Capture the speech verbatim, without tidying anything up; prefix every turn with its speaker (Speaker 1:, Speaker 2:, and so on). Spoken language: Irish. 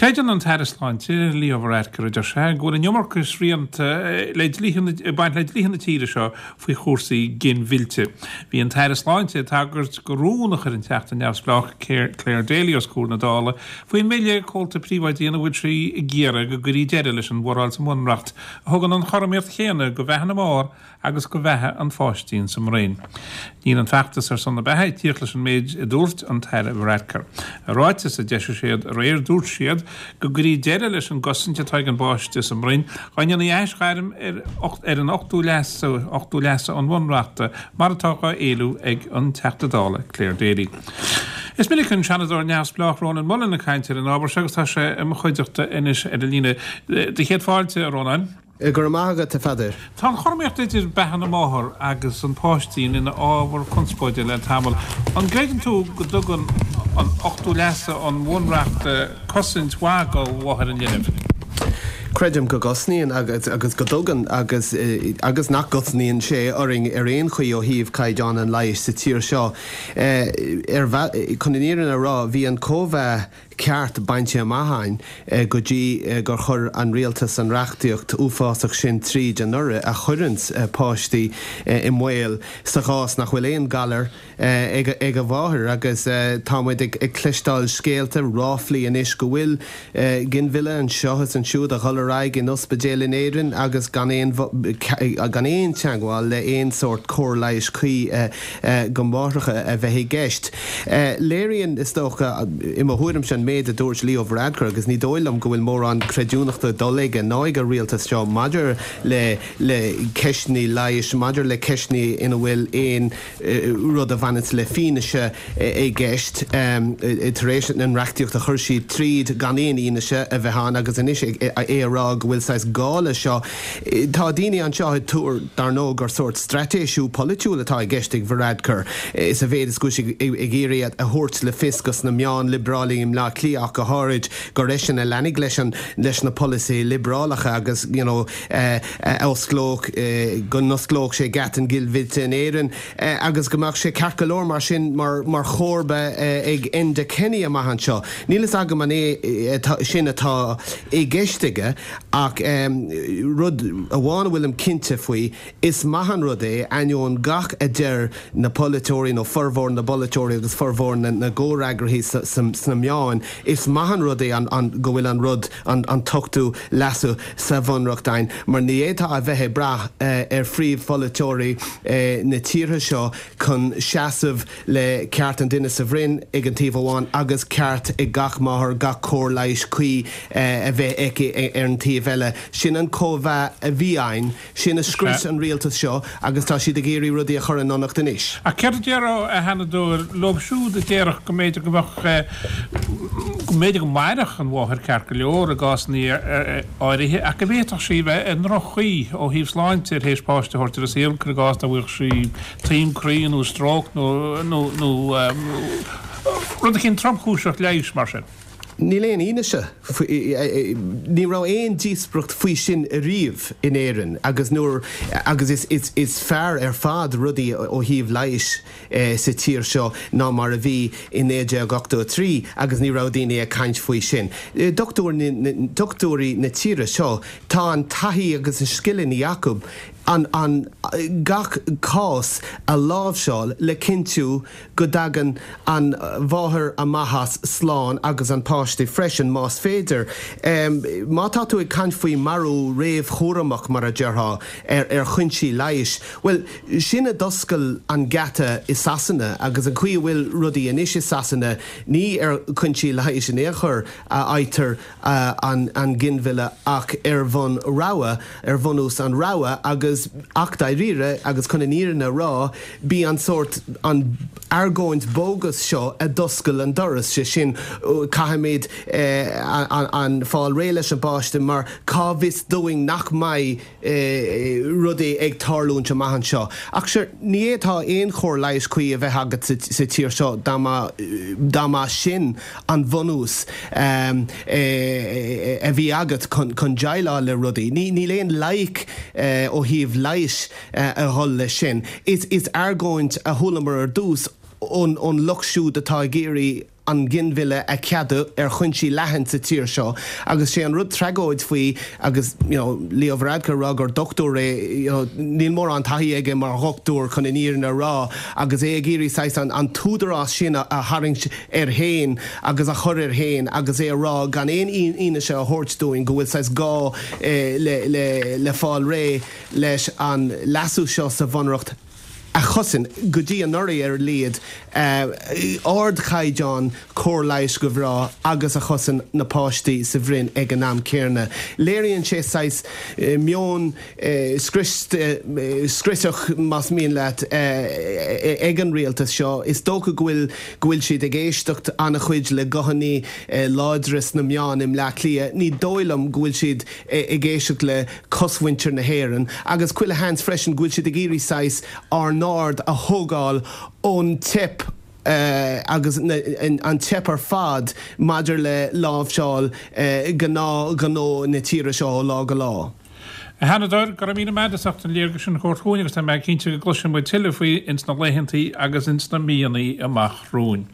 Speaker 1: Creideann an tAire Sláinte Leo Varadkar a deir sé go bhfuil an iomarca srianta le dlíthe baint le dlíthe na tíre seo faoi chúrsaí ginmhillte. Bhí an tAire Sláinte ag tagairt do rún a chuir an Teachta neamhspleách Clare Daly os comhair na Dála faoin mbille comhalta príobháidí ina bhfuil sí ag iarraidh go gcuirfí deireadh leis an bhforáil sa mBunreacht a thugann an chothromaíocht chéanna do bheatha na máthar agus do bheatha an pháistín sa mbroinn. Níl an feachtas ar son na beatha ag tíocht leis an méid a dúirt an tAire Varadkar. I ráiteas a d'eisigh siad aréir dúirt siad go gcuirfí deireadh leis an gcosaint atá ag an bpáiste sa mbroinn dá ndéanfaí aisghairm ar, ar an ochtú leasú ochtú leasú an Bhunreachta mar atá á éileamh ag an Teachta Dála Clare Daly. Is minic an Seanadóir neamhspleách Rónán Mullen ag caint ar an ábhar seo agus tá sé i mo chuideachta anois ar an líne. Do chéad fáilte Rónán.
Speaker 2: Go raibh maith agat a Pheadair.
Speaker 1: Tá an chothromaíocht idir beatha na máthar agus an pháistín ina ábhar conspóide le tamall. An gcreideann tú go dtugann an ochtú leasú an Bhunreacht cosaint mhaith do mháthair an linbh?
Speaker 2: Creidim go gcosnaíonn agus agus go dtugann agus agus nach gcosnaíonn sé orainn ar aon chaoi ó thaobh caighdeán an leighis sa tír seo. Ar chun an fhírinne a rá, bhí an cóimheá ceart bainte amach againn go dtí gur chuir an rialtas an reachtaíocht uafásach sin tríd anuraidh a chuireann páistí i mbaol sa chás nach bhfuil aon galar ag ag a mháthair agus tá muid ag ag cloisteáil scéalta ráflaí anois go bhfuil ginmhilleadh anseo is ansiúd a dhul ar aghaidh in ospidéal in Éirinn agus gan aon gan aon teagmháil le aon sórt cóir leighis cuí do mháithreacha a bheith i gceist. Léiríonn is dócha i mo thuairimse an méid a dúirt Leo Varadkar agus ní dóigh liom go bhfuil mórán creidiúnachta dul aige ná ag an rialtas seo maidir le le ceisteanna leighis maidir le ceisteanna ina bhfuil aon rud a bhaineann le fianaise i gceist tar éis an reachtaíocht a chur siad tríd gan aon fhianaise a bheith ann agus anois é a rá go bhfuil saghas gá leis seo. Tá daoine anseo ag tuar dar ndóigh gur sórt straitéisiú polaitiúil atá i gceist ag Varadkar sa mhéid is go bhfuil sé ag iarraidh a thabhairt le fios go sna meáin liobrálacha i mBleá Cliath go háirid gur eisean a leanfaidh leis an leis na polasaithe liobrálacha agus you know, osclódh go n-osclódh sé geata an ghinmhillte in Éirinn agus go mbeadh sé ceart go leor mar sin mar mar chomharba ag Enda Kenny amach anseo. Níl a fhios agam an é sin atá i gceist aige ach um, rud amháin a bhfuilim cinnte faoi is maith an rud é ainneoin gach a deir na polaiteoirí nó formhór na bpolaiteoirí agus formhór na, na gcomhfhreagraithe sna meáin, is maith an rud é an, an go bhfuil an rud an, an t-ochtú leasú sa bhunreacht ann, mar ní fhéadfá a bheith ag brath uh, ar phríomhpholaiteoirí uh, na tíre seo chun seasamh le ceart an duine sa bhroinn ag an taobh amháin agus ceart ag gach máthair gach cóir leighis cuí uh, a bheith aici ar an taobh eile. Sin an cóimheá a bhí ann, sin a scrios an rialtas seo agus tá siad ag iarraidh rudaí a chur in ionacht anois.
Speaker 1: A céard a déarfá a Sheanadóir leo siúd a déarfadh go mb'fhéidir go mbeadh go mb'fhéidir go mairfeadh an mháthair ceart go leor i gcásanna áirithe ach go bhféadfadh sí bheith i ndroch-chaoi ó thaobh sláinte tar éis páiste a thabhairt ar an saol i gcás nach bhfuil sí taom croí nó stróc nó nó nó rud éicint tromchúiseach leighis mar sin.
Speaker 2: Níl aon fhianaise ní raibh aon díospóireacht faoi sin ariamh in Éirinn agus nuair agus is, is, is fearr ar fad rudaí ó thaobh leighis eh, sa tír seo ná mar a bhí in naoi déag ochtó a trí agus ní raibh daoine ag caint faoi sin. Dochtúirí na tíre seo tá an taithí agus an scileanna acu an, an gach cás a láimhseáil le cinntiú go dtagann an mháthair amach as slán agus an páiste freisin más féidir. Um, má tá tú ag caint faoi marú réamhchúramach mar a déarfá ar, ar chúinsí leighis, Well sin a d'oscail an geata i Sasana agus an chaoi a bhfuil rudaí anois i Sasana ní ar chúinsí leighis in aon chor a fhaightear uh, an, an ginmhilleadh ach ar bhonn rogha ar bhunús an rogha agus ach dáiríre agus chun an fhírinne a rá bhí an sórt an argóint bogus seo a d'oscail an doras sé sin caithfimid eh, an, an fáil réidh leis an bpáiste mar cá bhfios dúinn nach mbeidh eh, rudaí ag tarlúint amach anseo. Ach sure, ní fhéadfá aon chóir leighis cuí a bheith agat sa, sa tír seo dá mba sin an bunús um, eh, a bhí agat chun, chun déileáil le rudaí. Ní, níl aon loighic eh, ó thaobh leighis eh, a dhul leis sin. Is, is argóint a chualamar ar dtús ón, ón lucht siúd atá ag iarraidh an ginmhilleadh a cheadú ar chúinsí leathan sa tír seo agus sé an rud tragóid faoi agus you know, Leo Varadkar rá gur dochtúir é you know, níl mórán taithí aige mar dhochtúir chun an fhírinne a rá agus é ag iarraidh saghas an, an t-údarás sin a, a tharraingt air féin agus a chur air féin agus é a rá gan aon fhianaise a thabhairt dúinn go bhfuil saghas gá eh, le, le, le fáil réidh leis an leasú seo sa bhunreacht a chosain go dtí anuraidh ar a laghad ardchaighdeán cóir leighis do mhná agus a chosain na páistí sa bhroinn ag an am céanna. Léiríonn sé saghas meon scriosach más mian leat ag an rialtas seo. Is dócha go bhfuil go bhfuil siad ag éisteacht an-chuid le guthanna láidre sna meáin i mBleá Cliath. Ní dóigh liom go bhfuil siad ag éisteacht le cosmhuintir na hÉireann agus chuile sheans freisin go bhfuil siad ag iarraidh saghas ár n-aird a thógáil ón teip agus an teip ar fad maidir le láimhseáil gnáthghnó na tíre seo ó lá go lá.
Speaker 1: A Sheanadóir, go raibh míle maith agat as ucht an léargas sin a thabhairt chugainn agus tá mé cinnte go gcloisfidh muid tuilleadh faoi ins na laethantaí agus ins na míonna amach romhainn.